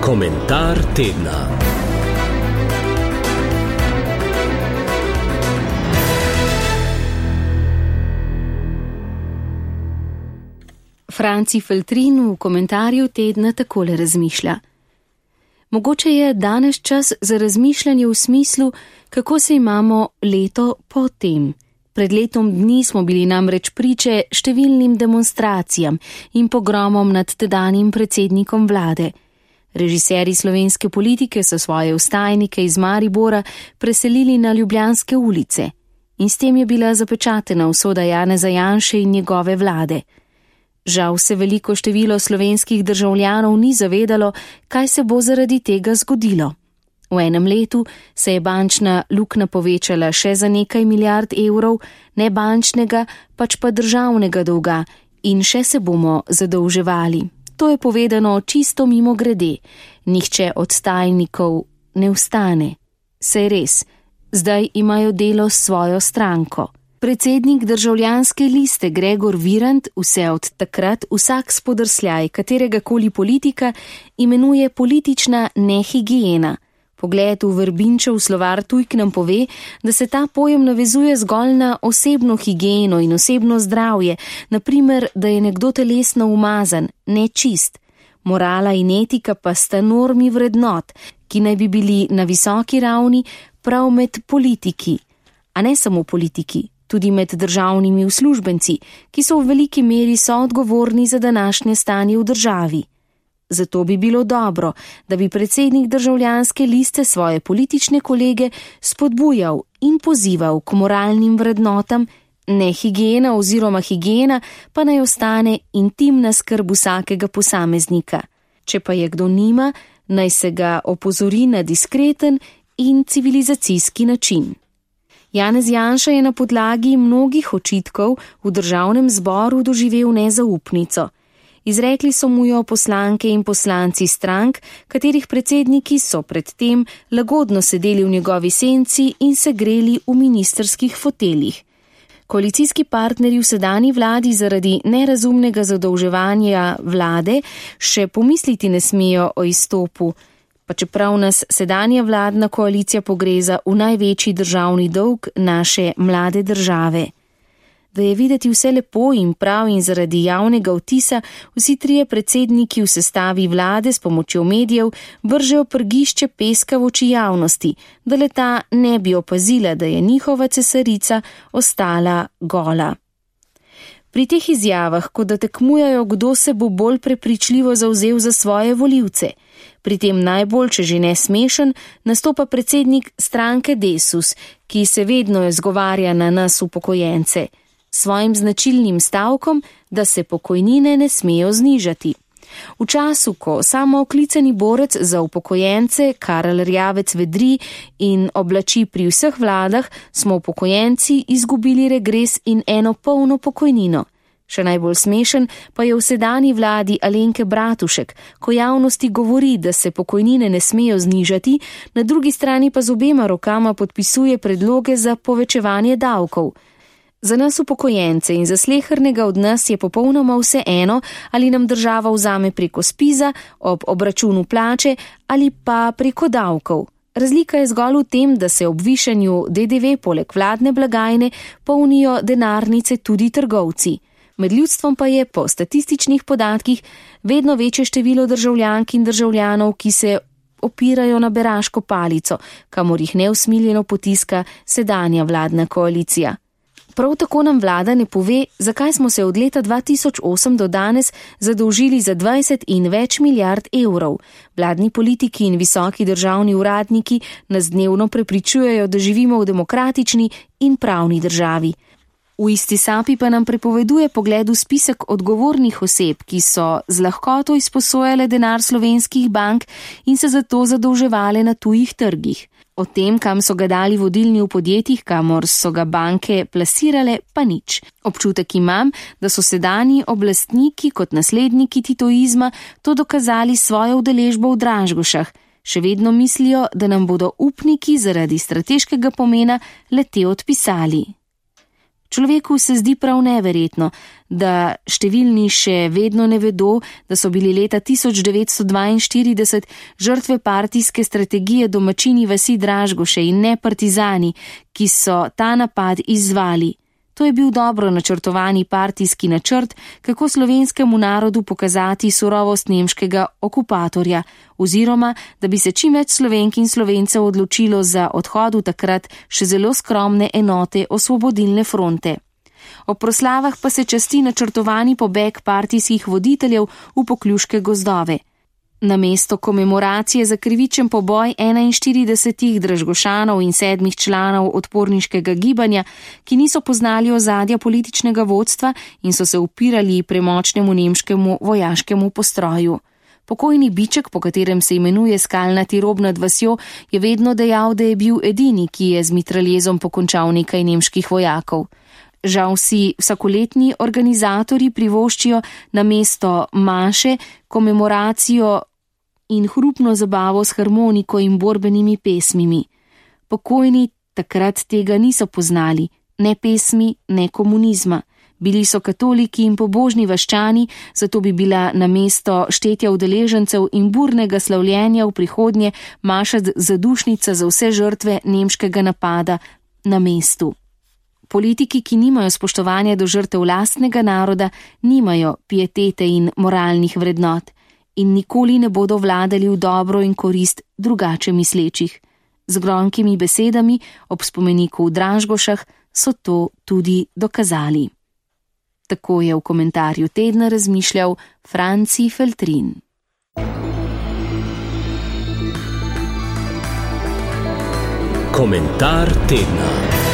Komentar tedna. Franci Feltrin v komentarju tedna takole razmišlja. Mogoče je danes čas za razmišljanje v smislu, kako se imamo leto po tem. Pred letom dni smo bili namreč priče številnim demonstracijam in pogromom nad tedanjim predsednikom vlade. Režiserji slovenske politike so svoje vstajnike iz Maribora preselili na ljubljanske ulice in s tem je bila zapečatena usoda Janeza Janše in njegove vlade. Žal se veliko število slovenskih državljanov ni zavedalo, kaj se bo zaradi tega zgodilo. V enem letu se je bančna luknja povečala še za nekaj milijard evrov, ne bančnega, pač pa državnega dolga in še se bomo zadolževali. To je povedano čisto mimo grede. Nihče od stajnikov ne vstane. Saj res, zdaj imajo delo s svojo stranko. Predsednik Državljanske liste Gregor Virant vse od takrat vsak spodrsljaj kateregakoli politika imenuje politična nehigiena. Pogled v Verbinčev slovar tujk nam pove, da se ta pojem navezuje zgolj na osebno higieno in osebno zdravje, naprimer, da je nekdo telesno umazan, nečist. Morala in etika pa sta normi vrednot, ki naj bi bili na visoki ravni prav med politiki, a ne samo politiki. Tudi med državnimi uslužbenci, ki so v veliki meri soodgovorni za današnje stanje v državi. Zato bi bilo dobro, da bi predsednik Državljanske liste svoje politične kolege spodbujal in pozival k moralnim vrednotam, ne higiena oziroma higiena pa naj ostane intimna skrb vsakega posameznika. Če pa je kdo nima, naj se ga opozori na diskreten in civilizacijski način. Janez Janša je na podlagi mnogih očitkov v državnem zboru doživel nezaupnico. Izrekli so mu jo poslanke in poslanci strank, katerih predsedniki so predtem lagodno sedeli v njegovi senci in se greli v ministrskih foteljih. Koalicijski partnerji v sedanji vladi zaradi nerazumnega zadolževanja vlade še pomisliti ne smejo o izstopu, pa čeprav nas sedanja vladna koalicija pogreza v največji državni dolg naše mlade države. Da je videti vse lepo in prav in zaradi javnega vtisa, vsi trije predsedniki v sestavi vlade s pomočjo medijev vržejo prgišče peska v oči javnosti, da le-ta ne bi opazila, da je njihova cesarica ostala gola. Pri teh izjavah, kot da tekmujejo, kdo se bo bolj prepričljivo zavzel za svoje volivce. Pri tem najbolj, če že ne smešen, nastopa predsednik stranke Desus, ki se vedno izgovarja na nas upokojence, svojim značilnim stavkom, da se pokojnine ne smejo znižati. V času, ko samooklicani borec za upokojence Karel Erjavec vedri in oblači pri vseh vladah, smo upokojenci izgubili regres in eno polno pokojnino. Še najbolj smešen pa je v sedanji vladi Alenke Bratušek, ko javnosti govori, da se pokojnine ne smejo znižati, na drugi strani pa z obema rokama podpisuje predloge za povečevanje davkov. Za nas upokojence in za slehernega od nas je popolnoma vseeno, ali nam država vzame preko spiza, ob obračunu plače ali pa preko davkov. Razlika je zgolj v tem, da se ob višanju DDV poleg vladne blagajne polnijo denarnice tudi trgovci. Med ljudstvom pa je po statističnih podatkih vedno večje število državljank in državljanov, ki se opirajo na beraško palico, kamor jih neusmiljeno potiska sedanja vladna koalicija. Prav tako nam vlada ne pove, zakaj smo se od leta 2008 do danes zadolžili za 20 in več milijard evrov. Vladni politiki in visoki državni uradniki nas dnevno prepričujejo, da živimo v demokratični in pravni državi. V isti sapi pa nam prepoveduje pogled v spisek odgovornih oseb, ki so z lahkoto izposojale denar slovenskih bank in se zato zadolževale na tujih trgih. O tem, kam so ga dali vodilni v podjetjih, kamor so ga banke plasirale, pa nič. Občutek imam, da so sedanji oblastniki kot nasledniki titoizma to dokazali svojo udeležbo v Dražgošah. Še vedno mislijo, da nam bodo upniki zaradi strateškega pomena le te odpisali. Človeku se zdi prav neverjetno, da številni še vedno ne vedo, da so bili leta 1942 žrtve partijske strategije domačini vasi Dražgoše in ne partizani, ki so ta napad izzvali. To je bil dobro načrtovani partijski načrt, kako slovenskemu narodu pokazati surovost nemškega okupatorja, oziroma da bi se čim več Slovenk in Slovencev odločilo za odhod v takrat še zelo skromne enote Osvobodilne fronte. Ob proslavah pa se časti načrtovani pobeg partijskih voditeljev v Pokljuške gozdove. Namesto komemoracije za krivičen poboj 41 Dražgošanov in 7 članov odporniškega gibanja, ki niso poznali ozadja političnega vodstva in so se upirali premočnemu nemškemu vojaškemu postroju. Pokojni Biček, po katerem se imenuje skalnati rob nad vasjo, je vedno dejal, da je bil edini, ki je z mitraljezom pokončal nekaj nemških vojakov. Žal si vsakoletni organizatorji privoščijo namesto maše komemoracijo in hrupno zabavo s harmoniko in borbenimi pesmimi. Pokojni takrat tega niso poznali, ne pesmi, ne komunizma. Bili so katoliki in pobožni vaščani, zato bi bila namesto štetja udeležencev in burnega slavljenja v prihodnje maša zadušnica za vse žrtve nemškega napada na mestu. Politiki, ki nimajo spoštovanja do žrtev lastnega naroda, nimajo pietete in moralnih vrednot in nikoli ne bodo vladali v dobro in korist drugače mislečih. Z gromkimi besedami ob spomeniku v Dražgošah so to tudi dokazali. Tako je v komentarju tedna razmišljal Franci Feltrin. Komentar tedna.